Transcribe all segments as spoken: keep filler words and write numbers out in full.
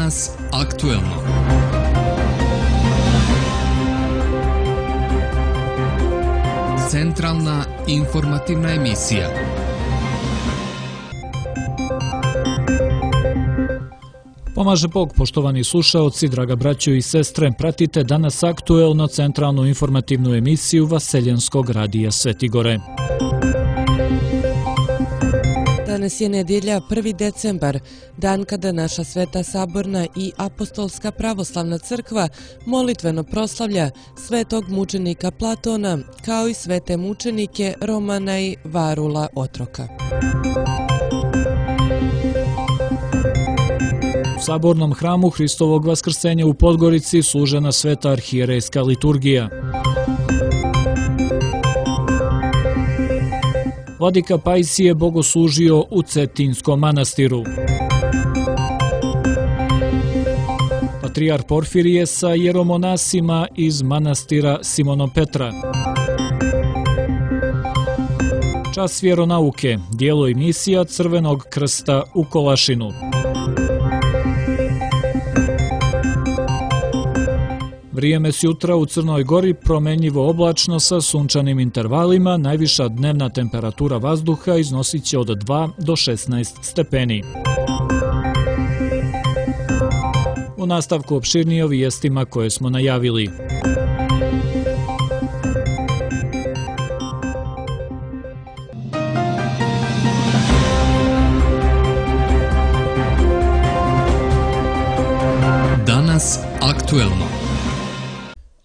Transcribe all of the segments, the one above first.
Danas aktuelno. Centralna informativna emisija. Pomaže Bog, poštovani slušaoci, draga braćo i sestre, pratite Danas aktuelno centralnu informativnu emisiju Vaseljenskog radija Sveti Gore. Danas je nedjelja prvi decembar, dan kada naša Sveta Saborna i Apostolska pravoslavna crkva molitveno proslavlja svetog mučenika Platona, kao i svete mučenike Romana i Varula Otroka. U Sabornom hramu Hristovog vaskrsenja u Podgorici služena sveta arhijerejska liturgija. Vladika Pajsije bogoslužio u Cetinjskom manastiru. Patrijar Porfirije sa jeromonasima iz manastira Simonom Petra. Čas vjeronauke, dijelo i misija Crvenog krsta u Kolašinu. Vrijeme s jutra u Crnoj Gori promenljivo oblačno sa sunčanim intervalima, najviša dnevna temperatura vazduha iznosit će od dva do šesnaest stepeni. U nastavku opširnije o vijestima koje smo najavili. Danas aktuelno.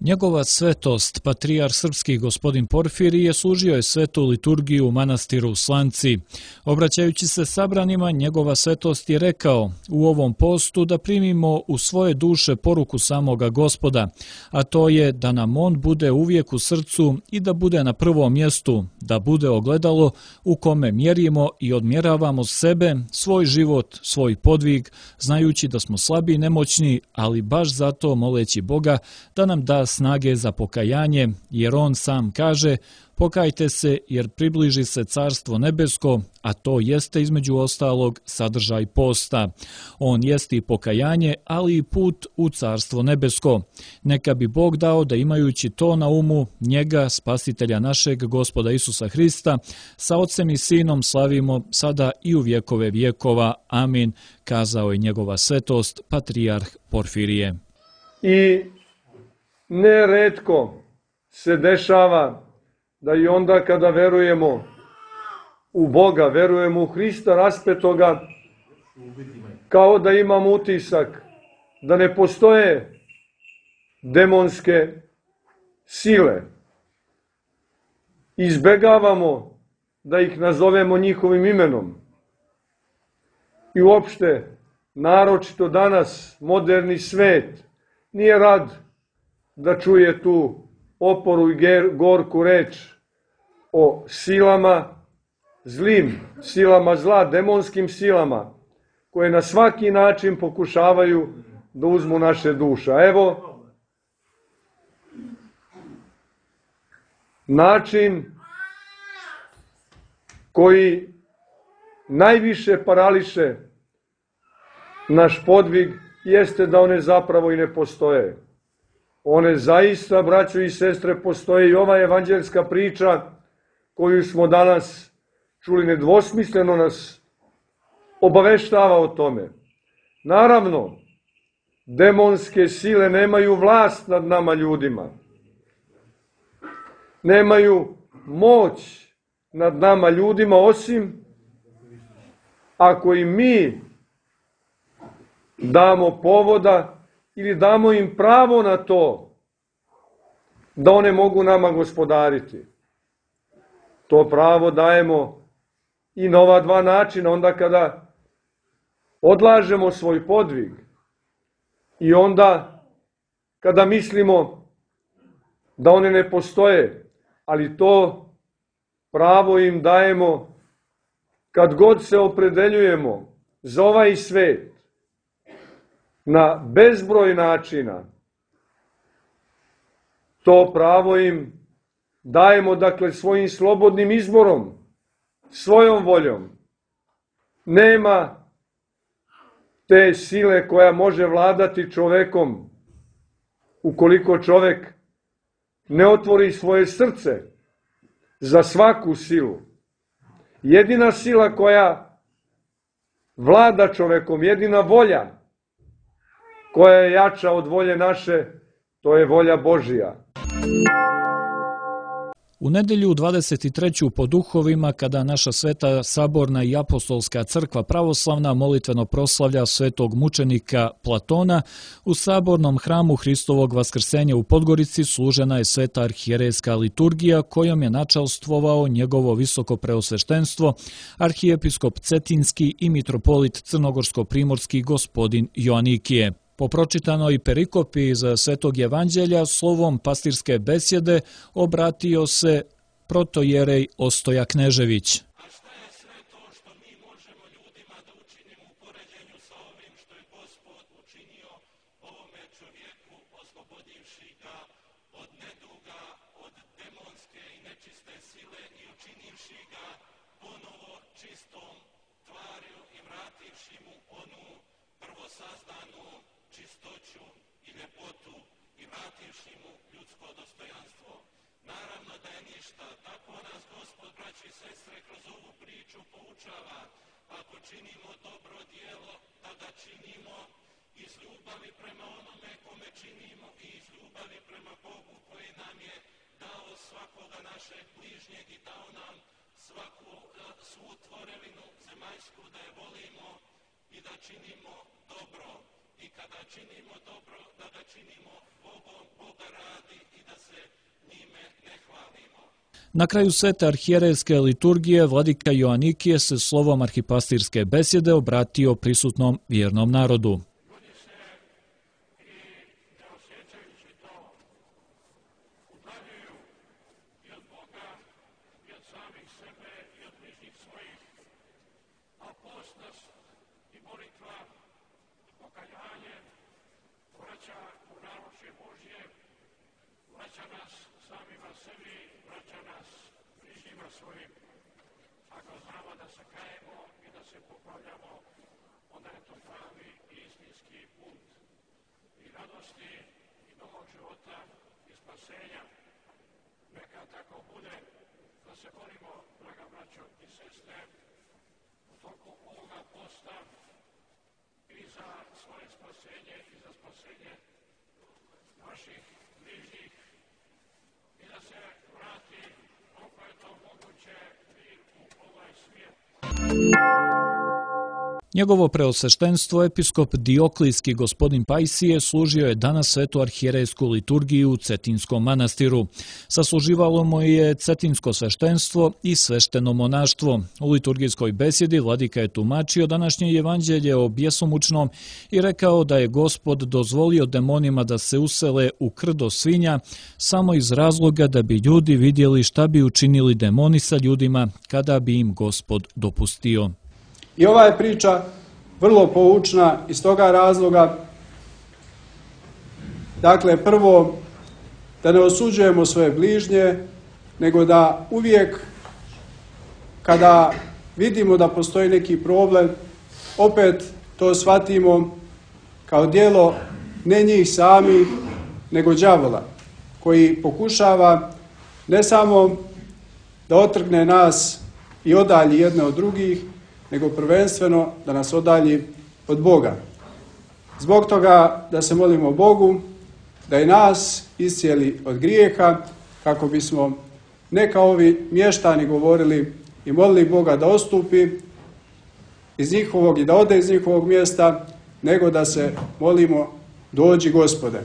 Njegova svetost, patrijar srpski gospodin Porfirije, služio je svetu liturgiju u manastiru Slanci. Obraćajući se sabranima, njegova svetost je rekao u ovom postu da primimo u svoje duše poruku samoga Gospoda, a to je da nam on bude uvijek u srcu i da bude na prvom mjestu, da bude ogledalo u kome mjerimo i odmjeravamo sebe, svoj život, svoj podvig, znajući da smo slabi i nemoćni, ali baš zato moleći Boga da nam da snage za pokajanje, jer on sam kaže: pokajte se jer približi se Carstvo nebesko, a to jeste između ostalog sadržaj posta. On jeste i pokajanje, ali i put u Carstvo nebesko. Neka bi Bog dao da imajući to na umu, njega, spasitelja našeg Gospoda Isusa Hrista, sa Otcem i Sinom slavimo sada i u vjekove vjekova. Amin, kazao je njegova svetost, patrijarh Porfirije. I neretko se dešava da i onda kada verujemo u Boga, verujemo u Hrista raspetoga, kao da imamo utisak da ne postoje demonske sile. Izbegavamo da ih nazovemo njihovim imenom. I uopšte, naročito danas, moderni svet nije rad da čuje tu oporu i gorku reč o silama, zlim silama zla, demonskim silama, koje na svaki način pokušavaju da uzmu naše duše. Evo, način koji najviše parališe naš podvig jeste da one zapravo i ne postoje. One zaista, braćo i sestre, postoje i ova evanđelska priča koju smo danas čuli nedvosmisleno nas obaveštava o tome. Naravno, demonske sile nemaju vlast nad nama ljudima. Nemaju moć nad nama ljudima, osim ako i mi damo povoda ili damo im pravo na to da one mogu nama gospodariti. To pravo dajemo i na ova dva načina, onda kada odlažemo svoj podvig i onda kada mislimo da one ne postoje, ali to pravo im dajemo kad god se opredeljujemo za ovaj svet na bezbroj načina. To pravo im dajemo, dakle, svojim slobodnim izborom, svojom voljom. Nema te sile koja može vladati čovekom, ukoliko čovek ne otvori svoje srce za svaku silu. Jedina sila koja vlada čovekom, jedina volja koja je jača od volje naše, to je volja Božija. U nedelju dvadeset treću po duhovima, kada naša Sveta Saborna i Apostolska crkva pravoslavna molitveno proslavlja svetog mučenika Platona, u Sabornom hramu Hristovog vaskrsenja u Podgorici služena je sveta arhijerejska liturgija kojom je načalstvovao njegovo visoko preosveštenstvo, arhijepiskop Cetinski i mitropolit crnogorsko-primorski gospodin Joanikije. Po pročitanoj perikopi iz Svetog evanđelja slovom pastirske besjede obratio se protojerej Ostoja Knežević. A šta je sve to što mi možemo ljudima da učinimo u poređenju sa ovim što je Gospod učinio ovome čovjeku, oslobodivši ga od neduga, od demonske i nečiste sile i učinivši ga ponovo čistom tvarju i vrativši mu onu prvosazdanu čistoću i ljepotu i vrativši mu ljudsko dostojanstvo. Naravno da je ništa, tako nas Gospod, braći i sestre, kroz ovu priču poučava. Ako činimo dobro djelo, da ga činimo iz ljubavi prema onome kome činimo i iz ljubavi prema Bogu koji nam je dao svakoga našeg bližnjeg i dao nam svaku svu tvorevinu zemaljsku da je volimo i da činimo dobro. I kada činimo dobro, da ga činimo Bogom, Boga radi i da se njime ne hvalimo. Na kraju svete arhijerejske liturgije vladika Joanikije se slovom arhipastirske besjede obratio prisutnom vjernom narodu. Ljudi se i ne osjećajući to udaljuju i od Boga i od samih sebe i od bližnjih svojih, a postnost i molitva i pokajanje vraća u naručje Božje, vraća nas samima sebi, vraća nas bližnjima svojim. Ako znamo da se kajemo i da se popravljamo, onda je to pravi i istinski put i radosti i novog života i spasenja. Neka tako bude, da se molimo, draga braćo i sestre, u toku ovoga posta i za svoje spasenje i za spasenje naših bližnjih i da se vrati koliko je to moguće i u ovaj svijet. Njegovo preosveštenstvo episkop Dioklijski gospodin Pajsije služio je danas svetu arhijerejsku liturgiju u Cetinskom manastiru. Sasluživalo mu je cetinsko sveštenstvo i svešteno monaštvo. U liturgijskoj besjedi vladika je tumačio današnje evanđelje o bjesomučnom i rekao da je Gospod dozvolio demonima da se usele u krdo svinja samo iz razloga da bi ljudi vidjeli šta bi učinili demoni sa ljudima kada bi im Gospod dopustio. I ova je priča vrlo poučna iz toga razloga. Dakle, prvo, da ne osuđujemo svoje bližnje, nego da uvijek kada vidimo da postoji neki problem, opet to shvatimo kao djelo ne njih samih, nego đavola, koji pokušava ne samo da otrgne nas i odalji jedne od drugih, nego prvenstveno da nas odalji od Boga. Zbog toga da se molimo Bogu, da i nas iscijeli od grijeha, kako bismo ne kao ovi mještani govorili i molili Boga da odstupi iz njihovog i da ode iz njihovog mjesta, nego da se molimo dođi Gospode.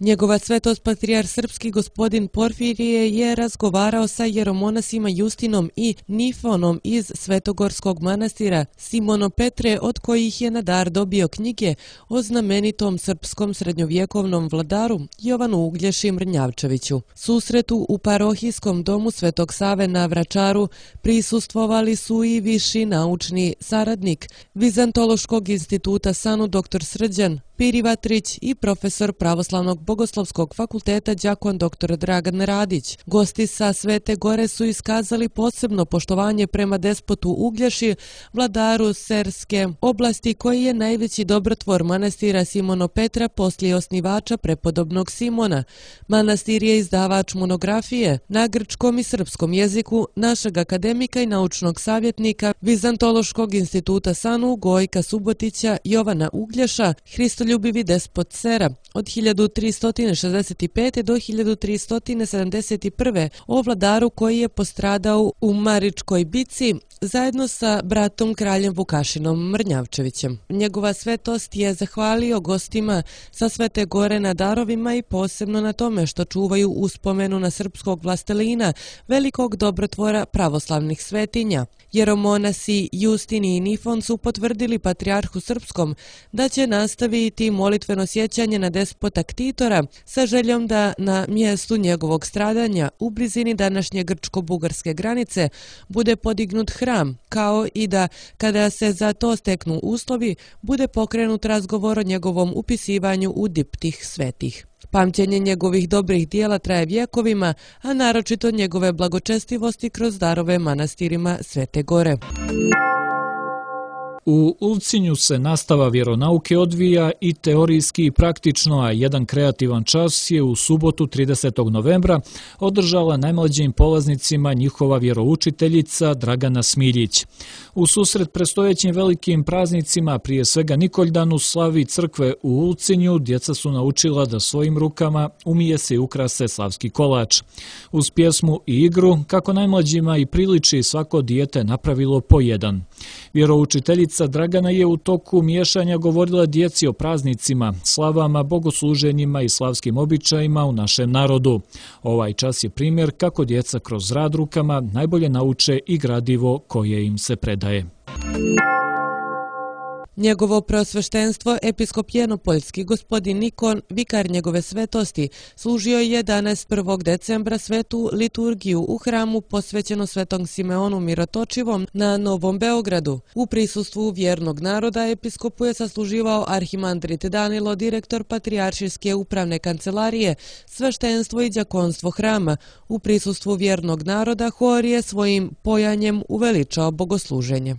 Njegova svetost patrijar srpski gospodin Porfirije je razgovarao sa jeromonasima Justinom i Nifonom iz Svetogorskog manastira, Simono Petre, od kojih je na dar dobio knjige o znamenitom srpskom srednjovjekovnom vladaru Jovanu Uglješi Mrnjavčeviću. Susretu u parohijskom domu Svetog Save na Vračaru prisustvovali su i viši naučni saradnik Vizantološkog instituta Sanu dr Srđan Piri Vatrić i profesor Pravoslavnog bogoslovskog fakulteta đakon doktor Dragan Radić. Gosti sa Svete Gore su iskazali posebno poštovanje prema despotu Uglješi, vladaru Serske oblasti, koji je najveći dobrotvor manastira Simono Petra poslije osnivača prepodobnog Simona. Manastir je izdavač monografije na grčkom i srpskom jeziku našeg akademika i naučnog savjetnika Vizantološkog instituta Sanu Gojka Subotića Jovana Uglješa, Hristoljubivi despot Sera, od hiljadu tristo šezdeset pete. do hiljadu tristo sedamdeset prve. o vladaru koji je postradao u Maričkoj bici zajedno sa bratom kraljem Vukašinom Mrnjavčevićem. Njegova svetost je zahvalio gostima sa Svete Gore na darovima i posebno na tome što čuvaju uspomenu na srpskog vlastelina, velikog dobrotvora pravoslavnih svetinja. Jeromonasi Justini i Nifon su potvrdili patrijarhu srpskom da će nastaviti molitveno sjećanje na despota Ktitora sa željom da na mjestu njegovog stradanja u blizini današnje grčko-bugarske granice bude podignut hram, kao i da kada se za to steknu uslovi bude pokrenut razgovor o njegovom upisivanju u diptih svetih. Pamćenje njegovih dobrih dijela traje vjekovima, a naročito njegove blagočestivosti kroz darove manastirima Svete Gore. U Ulcinju se nastava vjeronauke odvija i teorijski i praktično, a jedan kreativan čas je u subotu tridesetog novembra održala najmlađim polaznicima njihova vjeroučiteljica Dragana Smiljić. U susret predstojećim velikim praznicima, prije svega Nikoldanu, slavi crkve u Ulcinju, djeca su naučila da svojim rukama umije se i ukrase slavski kolač. Uz pjesmu i igru, kako najmlađima i priliči, svako dijete napravilo po jedan. Vjeroučiteljica Dragana je u toku miješanja govorila djeci o praznicima, slavama, bogosluženjima i slavskim običajima u našem narodu. Ovaj čas je primjer kako djeca kroz rad rukama najbolje nauče i gradivo koje im se predaje. Njegovo preosveštenstvo, episkop Jenopoljski gospodin Nikon, vikar njegove svetosti, služio je danas prvog decembra svetu liturgiju u hramu posvećeno Svetom Simeonu Mirotočivom na Novom Beogradu. U prisustvu vjernog naroda episkopu je sasluživao arhimandrit Danilo, direktor Patrijaršijske upravne kancelarije, sveštenstvo i đakonstvo hrama. U prisustvu vjernog naroda hor je svojim pojanjem uveličao bogosluženje.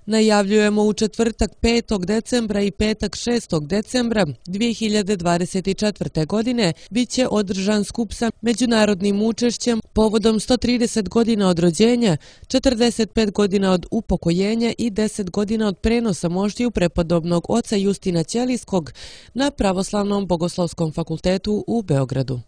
Najavljujemo u četvrtak petog decembra i petak šestog decembra dvije hiljade dvadeset četvrte. godine bit će održan skup sa međunarodnim učešćem povodom sto trideset godina od rođenja, četrdeset pet godina od upokojenja i deset godina od prenosa moštiju prepodobnog oca Justina Ćelijskog na Pravoslavnom bogoslovskom fakultetu u Beogradu.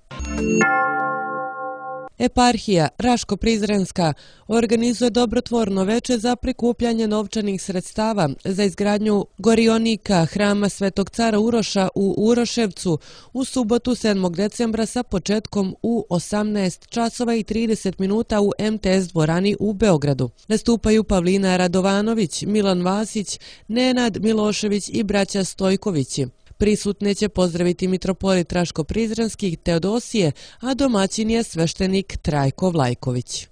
Eparhija Raško-Prizrenska organizuje dobrotvorno veče za prikupljanje novčanih sredstava za izgradnju gorionika hrama Svetog cara Uroša u Uroševcu u subotu sedmog decembra sa početkom u osamnaest časova i trideset minuta u em te es dvorani u Beogradu. Nastupaju Pavlina Radovanović, Milan Vasić, Nenad Milošević i braća Stojkovići. Prisutne će pozdraviti mitropolit Raško-Prizrenski Teodosije, a domaćin je sveštenik Trajko Vlajković.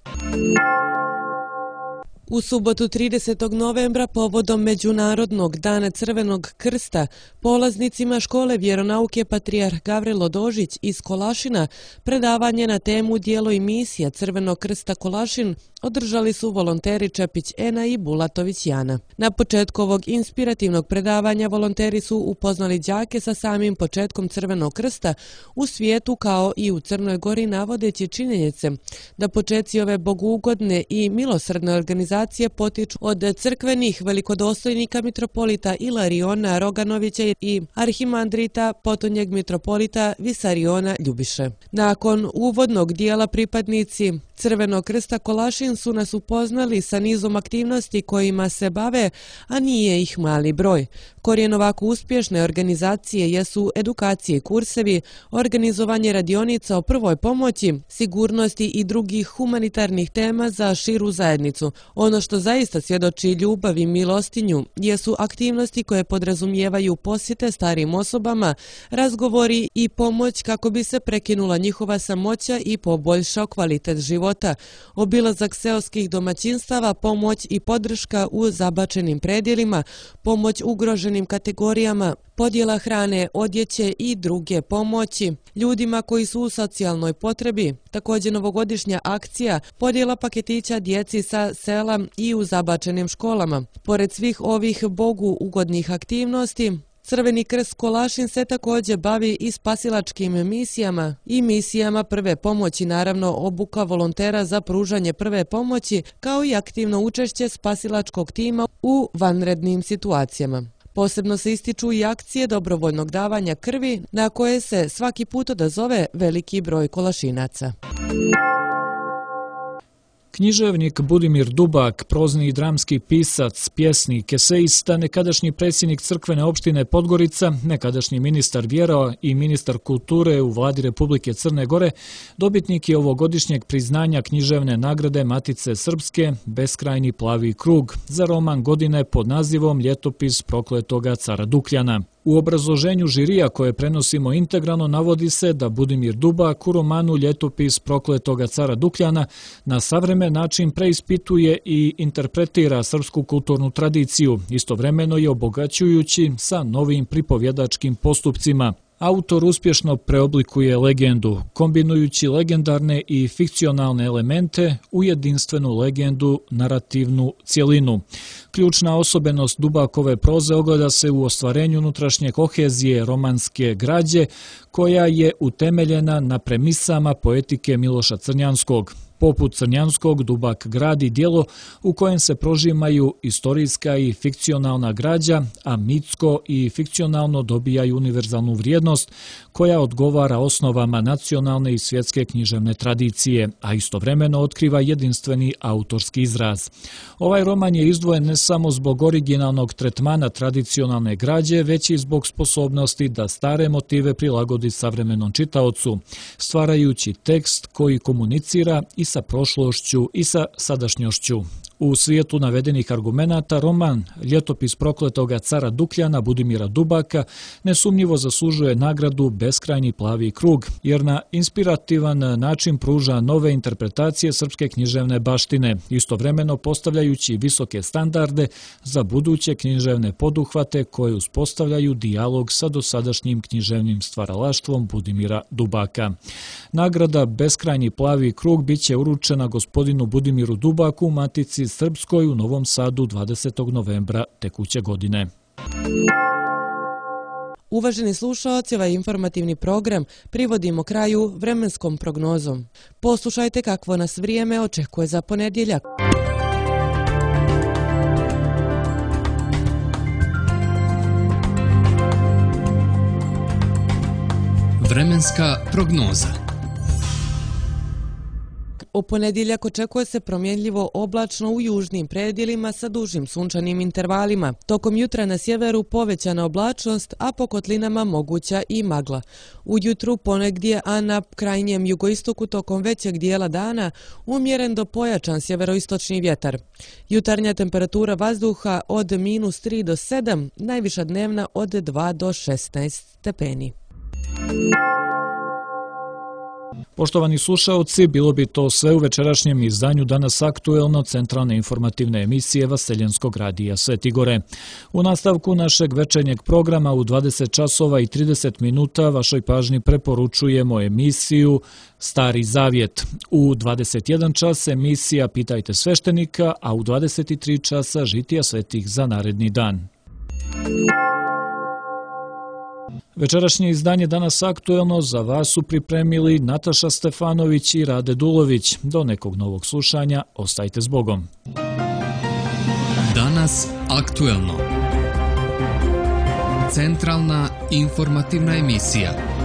U subotu tridesetog novembra povodom Međunarodnog dana Crvenog krsta polaznicima škole vjeronauke Patrijarh Gavrilo Dožić iz Kolašina predavanje na temu Djelo i misija Crvenog krsta Kolašin održali su volonteri Čepić Ena i Bulatović Jana. Na početku ovog inspirativnog predavanja volonteri su upoznali đake sa samim početkom Crvenog krsta u svijetu kao i u Crnoj Gori, navodeći činjenice da početci ove bogougodne i milosrdne organizacije potiču od crkvenih velikodostojnika mitropolita Ilariona Roganovića i arhimandrita potonjeg mitropolita Visariona Ljubiše. Nakon uvodnog dijela pripadnici Crvenog krsta Kolašin su nas upoznali sa nizom aktivnosti kojima se bave, a nije ih mali broj. Korijen ovako uspješne organizacije jesu edukacije i kursevi, organizovanje radionica o prvoj pomoći, sigurnosti i drugih humanitarnih tema za širu zajednicu. Ono što zaista svjedoči ljubav i milostinju jesu aktivnosti koje podrazumijevaju posjete starijim osobama, razgovori i pomoć kako bi se prekinula njihova samoća i poboljšao kvalitet života. Obilazak seoskih domaćinstava, pomoć i podrška u zabačenim predjelima, pomoć ugroženim kategorijama, podjela hrane, odjeće i druge pomoći ljudima koji su u socijalnoj potrebi. Također novogodišnja akcija podjela paketića djeci sa sela i u zabačenim školama. Pored svih ovih Bogu ugodnih aktivnosti, Crveni krst Kolašin se također bavi i spasilačkim misijama i misijama prve pomoći, naravno obuka volontera za pružanje prve pomoći, kao i aktivno učešće spasilačkog tima u vanrednim situacijama. Posebno se ističu i akcije dobrovoljnog davanja krvi, na koje se svaki put odazove veliki broj Kolašinaca. Književnik Budimir Dubak, prozni i dramski pisac, pjesnik, esejista, nekadašnji predsjednik crkvene opštine Podgorica, nekadašnji ministar vjera i ministar kulture u vladi Republike Crne Gore, dobitnik je ovogodišnjeg priznanja književne nagrade Matice Srpske Beskrajni plavi krug za roman godine pod nazivom Ljetopis prokletoga cara Dukljana. U obrazloženju žirija koje prenosimo integralno navodi se da Budimir Dubak u romanu Ljetopis prokletoga cara Dukljana na savremen način preispituje i interpretira srpsku kulturnu tradiciju, istovremeno je obogaćujući sa novim pripovjedačkim postupcima. Autor uspješno preoblikuje legendu, kombinujući legendarne i fikcionalne elemente u jedinstvenu legendu, narativnu cjelinu. Ključna osobenost Dubakove proze ogleda se u ostvarenju unutrašnje kohezije romanske građe, koja je utemeljena na premisama poetike Miloša Crnjanskog. Poput Crnjanskog, Dubak gradi djelo u kojem se prožimaju istorijska i fikcionalna građa, a mitsko i fikcionalno dobijaju univerzalnu vrijednost koja odgovara osnovama nacionalne i svjetske književne tradicije, a istovremeno otkriva jedinstveni autorski izraz. Ovaj roman je izdvojen ne samo zbog originalnog tretmana tradicionalne građe, već i zbog sposobnosti da stare motive prilagodi savremenom čitaocu, stvarajući tekst koji komunicira i sa prošlošću i sa sadašnjošću. U svijetu navedenih argumenata roman Ljetopis prokletoga cara Dukljana Budimira Dubaka nesumnjivo zaslužuje nagradu Beskrajni plavi krug, jer na inspirativan način pruža nove interpretacije srpske književne baštine, istovremeno postavljajući visoke standarde za buduće književne poduhvate koje uspostavljaju dijalog sa dosadašnjim književnim stvaralaštvom Budimira Dubaka. Nagrada Beskrajni plavi krug biće uručena gospodinu Budimiru Dubaku, Matici Srpskoj u Novom Sadu dvadesetog novembra tekuće godine. Uvaženi slušaoci, ovaj informativni program privodimo kraju vremenskom prognozom. Poslušajte kakvo nas vrijeme očekuje za ponedjeljak. Vremenska prognoza. U ponedjeljak očekuje se promjenljivo oblačno u južnim predjelima sa dužim sunčanim intervalima. Tokom jutra na sjeveru povećana oblačnost, a po kotlinama moguća i magla. Ujutru ponegdje, a na krajnjem jugoistoku tokom većeg dijela dana umjeren do pojačan sjeveroistočni vjetar. Jutarnja temperatura vazduha od minus tri do sedam, najviša dnevna od dva do šesnaest stepeni. Poštovani slušaoci, bilo bi to sve u večerašnjem izdanju Danas aktuelno centralne informativne emisije Vaseljenskog radija Sveti Gore. U nastavku našeg večernjeg programa u dvadeset časova i trideset minuta vašoj pažnji preporučujemo emisiju Stari Zavjet. U dvadeset jedan čas emisija Pitajte sveštenika, a u dvadeset tri časa Žitija svetih za naredni dan. Večerašnje izdanje Danas aktuelno za vas su pripremili Nataša Stefanović i Rade Dulović. Do nekog novog slušanja, ostajte s Bogom. Danas aktuelno. Centralna informativna emisija.